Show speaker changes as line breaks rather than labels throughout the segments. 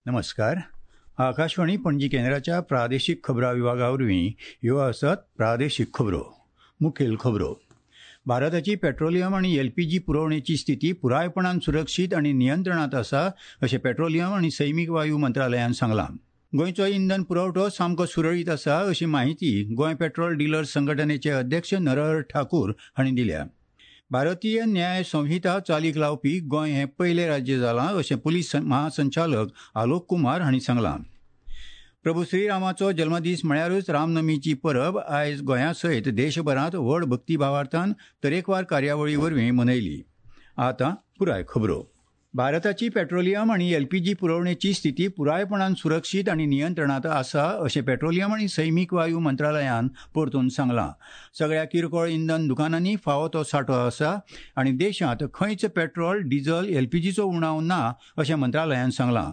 नमस्कार. आकाशवाणी पणजी केंद्राच्या प्रादेशीक खबरां विभागा वरवीं ह्यो आसात प्रादेशीक खबरो. मुखेल खबरो. भारताची पेट्रोलियम आनी एलपीजी पुरवणेची स्थिती पुरायपणान सुरक्षीत आनी नियंत्रणांत आसा अशें पेट्रोलियम आनी सैमीक वायू मंत्रालयान सांगलां. गोंयचो इंधन पुरवठो सामको सुरळीत आसा अशी माहिती गोंय पेट्रोल डिलर्स संघटनेचे अध्यक्ष नरहर ठाकूर हांणी दिल्या. भारतीय न्याय संहिता चालीक लावपी गोंय हें पयलें राज्य जालां अशें पुलीस महासंचालक आलोक कुमार हांणी सांगलां. प्रभू श्रीरामाचो जल्मदीस म्हळ्यारूच रामनमीची परब आयज गोंया सयत देशभरांत व्हड भक्तीभावार्थान तरेकवार कार्यावळी वरवीं मनयली. आतां पुराय खबरो. भारताची पेट्रोलियम आनी एलपीजी पुरवणेची स्थिती पुरायपणान सुरक्षीत आनी नियंत्रणांत आसा अशें पेट्रोलियम आनी सैमीक वायू मंत्रालयान परतून सांगलां. सगळ्या किरकोळ इंधन दुकानांनी फावो तो सांठो आसा आनी देशांत खंयच पेट्रोल, डिझल, एलपीजीचो उणाव ना अशें मंत्रालयान सांगलां.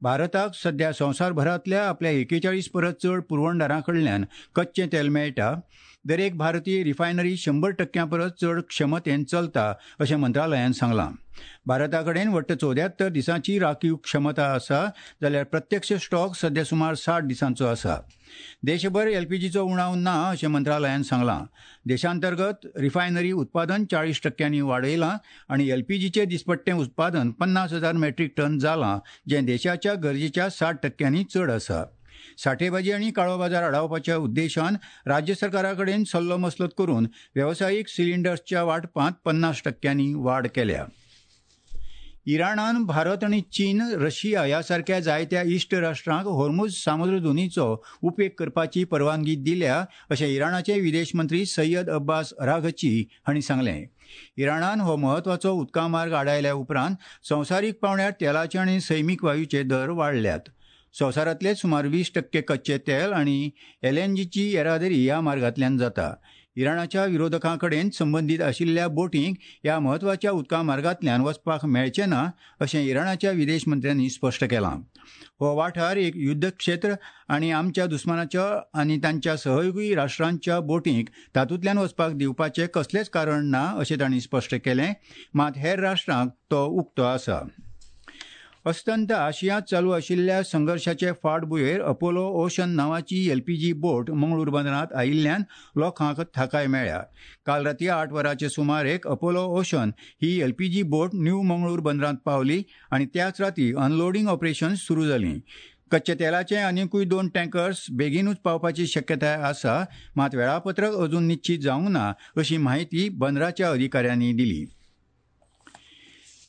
भारताक सध्या संवसारभरांतल्या आपल्या 41 परस चड पुरवणदारां कडल्यान कच्चें तेल मेळटा. दरेक भारतीय रिफायनरी 100% परस चड क्षमतेन चलता अशें मंत्रालयान सांगलां. भारता कडेन वट्ट 74 दिसांची राखीव क्षमता आसा जाल्यार प्रत्यक्ष स्टॉक सध्या सुमार 60 दिसांचो आसा. देशभर एलपीजीचो उणाव ना अशें मंत्रालयान सांगलां. देशांतर्गत रिफायनरी उत्पादन 40% वाडयलां आनी एलपीजीचें दिसपट्टें उत्पादन 50,000 मेट्रीक टन जालां, जें देशाच्या गरजेच्या 60% चड आसा. साठेबाजी आनी काळो बाजार आडावपाच्या उद्देशान राज्य सरकारा कडेन सल्लो मसलत करून वेवसायीक सिलिंडर्सच्या वांटपांत 50% वाड केल्या. इराणान भारत आनी चीन, रशिया ह्या सारक्या जायत्या इश्ट राष्ट्रांक होर्मुझ सामुद्रधुनीचो उपेग करपाची परवानगी दिल्या अशें इराणाचे विदेश मंत्री सय्यद अब्बास अराघची हांणी सांगलें. इराणान हो म्हत्वाचो उदका मार्ग आडायल्या उपरांत संवसारीक पांवड्यार तेलाचे आनी सैमीक वायूचे दर वाडल्यात. संवसारांतले सुमार 20% कच्चें तेल आनी एलएनजीची येरादारी ह्या मार्गांतल्यान जाता. इराणाच्या विरोधकां कडेन संबंदीत आशिल्ल्या बोटींक ह्या म्हत्वाच्या उदका मार्गांतल्यान वचपाक मेळचें ना अशें इराणाच्या विदेश मंत्र्यांनी स्पश्ट केलां. हो वाठार एक युद्धक्षेत्र आनी आमच्या दुस्मानाच्या आनी तांच्या सहयोगी राष्ट्रांच्या बोटींक तातूंतल्यान वचपाक दिवपाचें कसलेंच कारण ना अशें तांणी स्पश्ट केलें. मात हेर राष्ट्रांक तो उक्तो आसा. अस्तंत आशियांत चालू आशिल्ल्या संघर्शाचे फाटभुंयेर अपोलो ओशन नांवाची एलपीजी बोट मंगळूर बंदरांत आयिल्ल्यान लोकांक थाकाय मेळ्ळ्या. काल राती 8 वरांचे सुमारेक अपोलो ओशन ही एलपीजी बोट न्यू मंगळूर बंदरांत पावली आनी त्याच राती अनलोडींग ऑपरेशन सुरू जालीं. कच्च्या तेलाचे आनिकूय 2 टँकर्स बेगीनूच पावपाची शक्यताय आसा, मात वेळापत्रक अजून निश्चीत जावंक ना अशी माहिती बंदराच्या अधिकाऱ्यांनी दिली.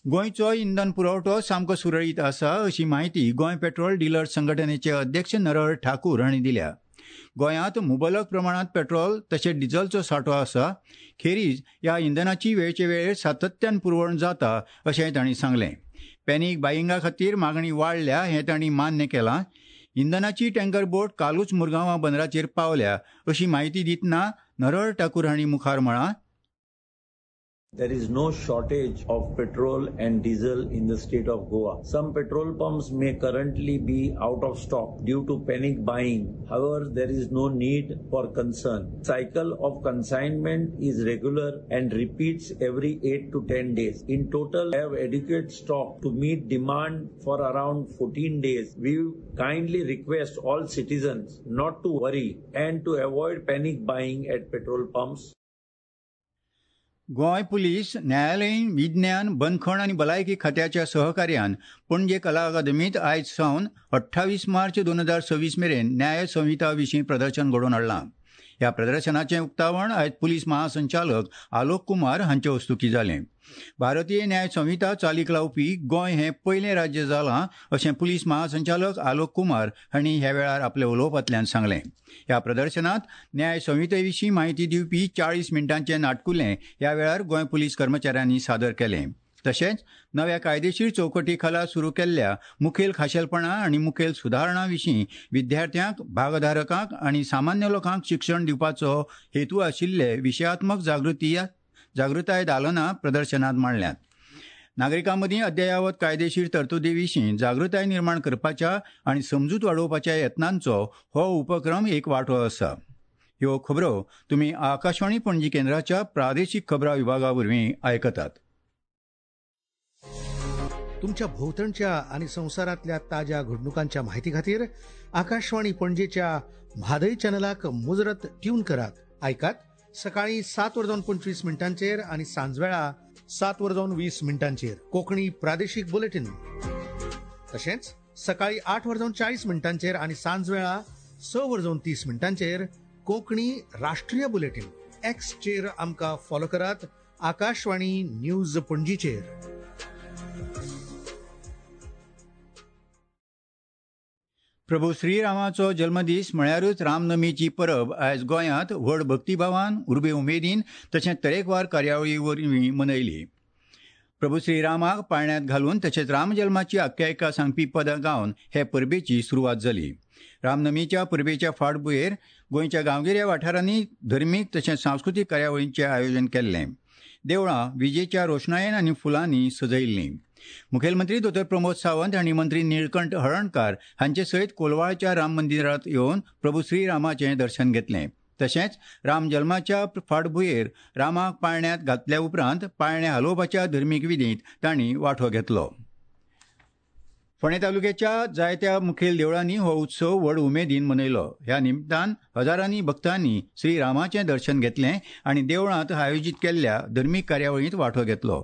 गोंयचो इंधन पुरवठो सामको सुरळीत आसा अशी माहिती गोंय पेट्रोल डिलर्स संघटनेचे अध्यक्ष नरहर ठाकूर हांणी दिल्या. गोंयांत मुबलक प्रमाणांत पेट्रोल तशेंच डिझलचो सांठो आसा. खेरीज ह्या इंधनाची वेळचे वेळेर सातत्यान पुरवण जाता अशें तांणी सांगलें. पॅनीक बायिंगा खातीर मागणी वाडल्या हें तांणी मान्य केलां. इंधनाची टँकर बोट कालूच मुरगांवां बंदराचेर पावल्या अशी माहिती दितना नरहर ठाकूर हांणी मुखार म्हळां,
There is no shortage of petrol and diesel in the state of Goa. Some petrol pumps may currently be out of stock due to panic buying. However, there is no need for concern. Cycle of consignment is regular and repeats every 8 to 10 days. In total, I have adequate stock to meet demand for around 14 days. We kindly request all citizens not to worry and to avoid panic buying at petrol pumps.
Goa police न्यायालयीन विज्ञान बंदखण आनी भलायकी खात्याच्या सहकार्यान पणजे कला अकादमींत आयज सावन 28 मार्च 2026 मेरेन न्याय संहिता विशीं प्रदर्शन घडोवन हाडलां. ह्या प्रदर्शनाचें उक्तावण आयज पुलीस महासंचालक आलोक कुमार हांचे हस्तुकीं जालें. भारतीय न्याय संहिता चालीक लावपी गोंय हें पयलें राज्य जालां अशें पुलीस महासंचालक आलोक कुमार हांणी ह्या वेळार आपल्या उलोवपांतल्यान सांगलें. ह्या प्रदर्शनांत न्याय संहिते विशीं माहिती दिवपी 40 मिनटांचें नाटकुलें ह्या वेळार गोंय पुलीस कर्मचाऱ्यांनी सादर केलें. तशेंच नव्या कायदेशीर चौकटी खाला सुरू केल्ल्या मुखेल खाशेलपणां आनी मुखेल सुदारणां विशीं विद्यार्थ्यांक, भागधारकांक आनी सामान्य लोकांक शिक्षण दिवपाचो हेतू आशिल्ले विशयात्मक जागृताय दालनां प्रदर्शनांत मांडल्यांत. नागरिकां मदीं अद्ययावत कायदेशीर तरतुदी विशीं जागृताय निर्माण करपाच्या आनी समजूत वाडोवपाच्या यत्नांचो हो उपक्रम एक वांटो आसा. ह्यो खबरो तुमी आकाशवाणी पणजी केंद्राच्या प्रादेशीक खबरां विभागा वरवीं आयकतात.
तुमच्या भोवतणच्या आनी संवसारांतल्या ताज्या घडणुकांच्या माहिती खातीर आकाशवाणी पणजेच्या म्हादय चॅनलाक मुजरत ट्यून करात. आयकात सकाळी 7:25 आनी सांजवेळा 7:20 कोंकणी प्रादेशीक बुलेटीन. तशेंच सकाळी 8:40 आनी सांजवेळा 6:30 कोंकणी राष्ट्रीय बुलेटीन. एक्सचेर आमकां फॉलो करात आकाशवाणी न्यूज पणजीचेर.
प्रभू श्रीरामाचो जल्मदीस म्हळ्यारूच रामनमीची परब आयज गोंयांत व्हड भक्तिभावान, उर्बे उमेदीन तशेंच तरेकवार कार्यावळी वरवीं मनयली. प्रभू श्रीरामाक पाळण्यांत घालून तशेंच रामजल्माची आख्यायिका सांगपी पदां गावन हे परबेची सुरवात जाली. रामनमीच्या परबेच्या फाटभुंयेर गोंयच्या गांवगिऱ्या वाठारांनी धर्मीक तशेंच सांस्कृतीक कार्यावळींचें आयोजन केल्लें. देवळां विजेच्या रोशणायेन आनी फुलांनी सजयिल्लीं. मुखेलमंत्री दोतोर प्रमोद सावंत आनी मंत्री निळकंठ हळर्णकार हांचे सयत कोलवाळच्या राम मंदिरांत येवन प्रभू श्रीरामाचें दर्शन घेतलें. तशेंच रामजल्माच्या फाटभुंयेर रामाक पाळण्यांत घातल्या उपरांत पाळणें हालोवपाच्या धर्मीक विधींत तांणी वांटो घेतलो. फोंडें तालुक्याच्या जायत्या मुखेल देवळांनी हो उत्सव व्हड उमेदीन मनयलो. ह्या निमतान हजारांनी भक्तांनी श्रीरामाचें दर्शन घेतलें आनी देवळांत आयोजीत केल्ल्या धर्मीक कार्यावळींत वांटो घेतलो.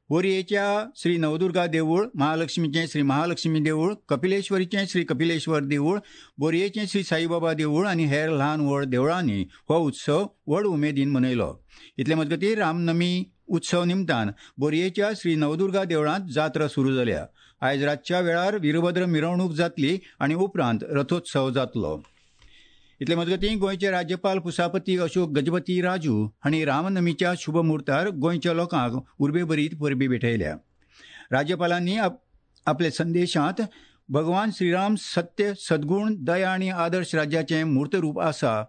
बोरयेच्या श्री नवदुर्गा देवूळ, महालक्ष्मीचें श्री महालक्ष्मी देवूळ, कपिलेश्वरीचें श्री कपिलेश्वर देवूळ, बोरयेचें श्री साईबाबा देवूळ आनी हेर ल्हान व्हड देवळांनी हो उत्सव व्हड उमेदीन मनयलो. इतले मजगतीं रामनमी उत्सव निमतान बोरयेच्या श्री नवदुर्गा देवळांत जात्रा सुरू जाल्या. आयज रातच्या वेळार वीरभद्र मिरवणूक जातली आनी उपरांत रथोत्सव जातलो. इतले मजगतीं गोंयचे राज्यपाल पुसापती अशोक गजपती राजू हांणी रामनमीच्या शुभ मुहूर्तार गोंयच्या लोकांक उर्बेभरीत परबी भेटयल्या. राज्यपालांनी आपल्या संदेशांत भगवान श्रीराम सत्य, सद्गुण, दया आनी आदर्श राज्याचें मूर्तरूप आसा.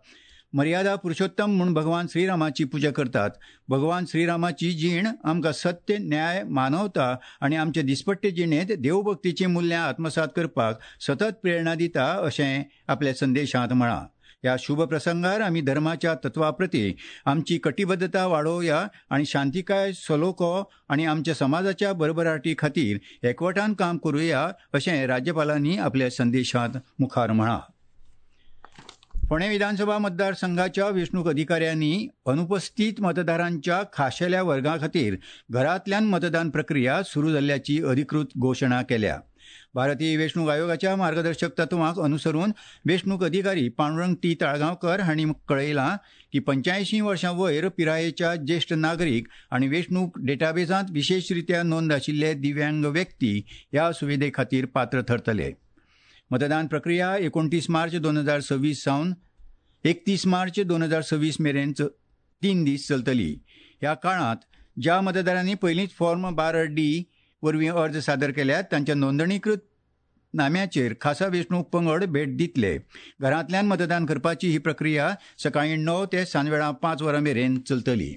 मर्यादा पुरुषोत्तम म्हूण भगवान श्रीरामाची पुजा करतात. भगवान श्रीरामाची जीण आमकां सत्य, न्याय, मानवता आनी आमचे दिसपट्टे जिणेंत देवभक्तीचीं मुल्यां आत्मसात करपाक सतत प्रेरणा दिता अशें आपल्या संदेशांत म्हळां. ह्या शुभ प्रसंगार आमी धर्माच्या तत्वा प्रती आमची कटिबद्धता वाडोवया आनी शांतिकाय, सलोखो आनी आमच्या समाजाच्या भरभराटी खातीर एकवटान काम करुया अशें राज्यपालांनी आपल्या संदेशांत मुखार म्हळां. फोंडें विधानसभा मतदारसंघाच्या वेंचणूक अधिकाऱ्यांनी अनुपस्थित मतदारांच्या खाशेल्या वर्गा खातीर घरांतल्यान मतदान प्रक्रिया सुरू जाल्ल्याची अधिकृत घोशणा केल्या. भारतीय वेंचणूक आयोगाच्या मार्गदर्शक तत्वांक अनुसरून वेंचणूक अधिकारी पांडुरंग टी ताळगांवकर हांणी कळयलां की 85 वर्सां वयर पिरायेच्या ज्येश्ठ नागरीक आनी वेंचणूक डेटाबेजांत विशेशरित्या नोंद आशिल्ले दिव्यांग व्यक्ती ह्या सुविधे खातीर पात्र थरतले. मतदान प्रक्रिया 29 मार्च 2026 सावन 31 मार्च 2026 मेरेन 3 दीस चलतली. ह्या काळांत ज्या मतदारांनी पयलींच फॉर्म 12D वरवीं अर्ज सादर केल्यात तांच्या नोंदणीकृत नाम्याचेर खासा वेंचणूक पंगड भेट दितले. घरांतल्यान मतदान करपाची ही प्रक्रिया सकाळीं 9 ते सांजवेळा 5 वरां मेरेन चलतली.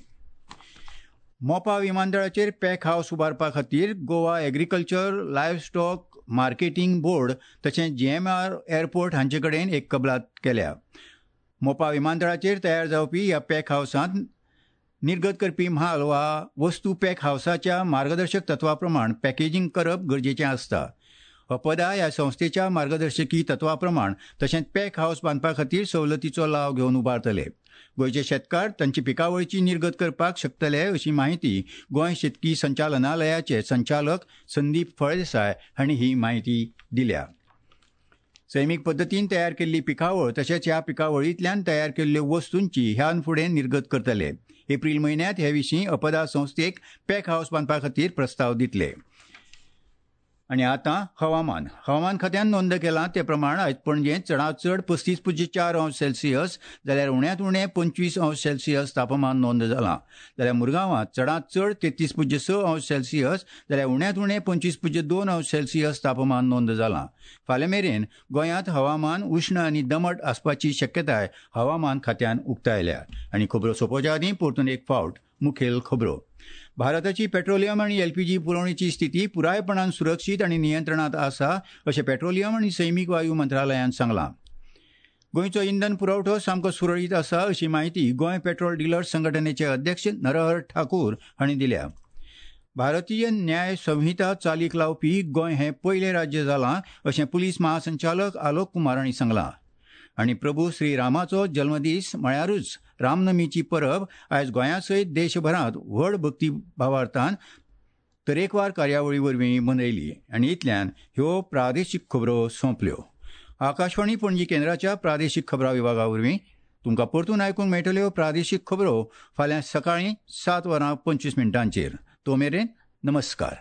मोपा विमानतळाचेर पॅक हावस उबारपा खातीर Goa agriculture livestock marketing board तशेंच जीएमआर एअरपोर्ट हांचे कडेन एक कबलात केल्या. मोपा विमानतळाचेर तयार जावपी ह्या पॅक हावसांत निर्गत करपी म्हाल वा वस्तू पॅक हावसाच्या मार्गदर्शक तत्वा प्रमाण पॅकेजींग करप गरजेचें आसता. अपदा ह्या संस्थेच्या मार्गदर्शकी तत्वा प्रमाण तशेंच पॅक हावस बांदपा खातीर सवलतीचो लाव घेवन उबारतले. गोंयचे शेतकार तांची पिकावळीची निर्गत करपाक शकतले अशी माहिती गोंय शेतकी संचालनालयाचे संचालक संदीप फळदेसाय हांणी ही माहिती दिल्या. सैमीक पद्दतीन तयार केल्ली पिकावळ तशेंच ह्या पिकावळींतल्यान तयार केल्ल्यो वस्तूंची ह्यान फुडें निर्गत करतले. एप्रील म्हयन्यांत हे विशीं अपदा संस्थेक पॅक हावस बांदपा खातीर प्रस्ताव दितले. आनी आतां हवामान. हवामान खात्यान नोंद केलां ते प्रमाण आयज पणजेंत चडांत चड 35.4 अंश सेल्सियस जाल्यार उण्यांत उणें 25 अंश सेल्सियस तापमान नोंद जालां. जाल्यार मुरगांवांत चडांत चड 33.6 अंश सेल्सियस जाल्यार उण्यांत उणें 25.2 अंश सेल्सियस तापमान नोंद जालां. फाल्यां मेरेन गोंयांत हवामान उश्ण आनी दमट आसपाची शक्यताय हवामान खात्यान उक्तायल्या. आनी खबरो सोंपोवच्या आदीं परतून एक फावट मुखेल खबरो. भारताची पेट्रोलियम आनी एलपीजी पुरवणेची स्थिती पुरायपणान सुरक्षीत आनी नियंत्रणांत आसा अशें पेट्रोलियम आनी सैमीक वायू मंत्रालयान सांगलां. गोंयचो इंधन पुरवठो सामको सुरळीत आसा अशी माहिती गोंय पेट्रोल डिलर्स संघटनेचे अध्यक्ष नरहर ठाकूर हांणी दिल्या. भारतीय न्याय संहिता चालीक लावपी गोंय हें पयलें राज्य जालां अशें पुलीस महासंचालक आलोक कुमार हांणी सांगलां. आनी प्रभू श्रीरामाचो जल्मदीस म्हळ्यारूच रामनमीची परब आयज गोंया सयत देशभरांत व्हड भक्तीभावार्थान तरेकवार कार्यावळी वरवीं मनयली. आनी इतल्यान ह्यो प्रादेशीक खबरो सोंपल्यो. आकाशवाणी पणजी केंद्राच्या प्रादेशीक खबरां विभागा वरवीं तुमकां परतून आयकूंक मेळटल्यो प्रादेशीक खबरो फाल्यां सकाळीं 7:25. तो मेरेन नमस्कार.